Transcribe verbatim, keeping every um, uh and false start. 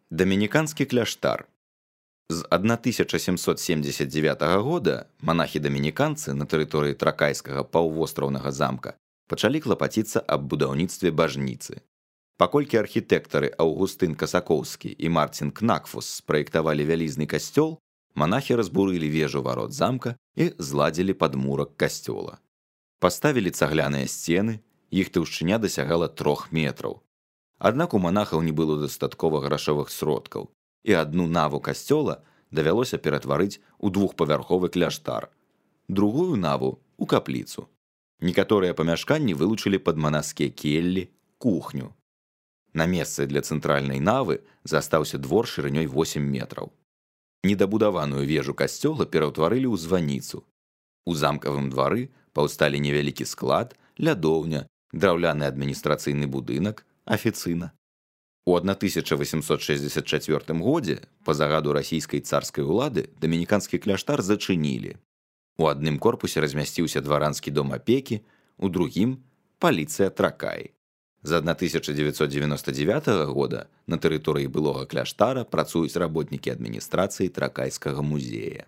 Дамініканскі кляштар. З тысяча сямсот семдзесят дзевятага года манахі-дамініканцы на тэрыторыі тракайскага паўвостраўнага замка пачалі клапаціцца аб будаўніцтве бажніцы. Паколькі архітэктары Аўгустын Касакоўскі і Марцін Кнакфус спраектавалі вялізны касцёл, манахі разбурылі вежу варот замка і зладзілі падмурак касцёла. Паставілі цагляныя сцены, іх таўшчыня дасягала трох метраў. Аднак у манахаў не было дастаткова грашовых сродкаў, і адну наву касцёла давялося ператварыць у двухпавярховы кляштар, другую наву у капліцу. Некаторыя памяшканні вылучылі пад манаскія келлі, кухню. На месцы для цэнтральнай навы застаўся двор шырынёй восем метраў. Недабудаваную вежу касцёла пераўтварылі ў званіцу. У замкавым двары паўсталі невялікі склад, лядоўня, драўляны адміністрацыйны будынак, афіцына. У тысяча васемсот шэсцьдзесят чацвёртым годзе па загаду расійскай царскай улады дамініканскі кляштар зачынілі. У адным корпусе размясціўся дваранскі дом апекі, у другім паліцыя Тракай. З тысяча дзевяцьсот дзевяноста дзевятага года на тэрыторыі былога кляштара працуюць работнікі адміністрацыі Тракайскага музея.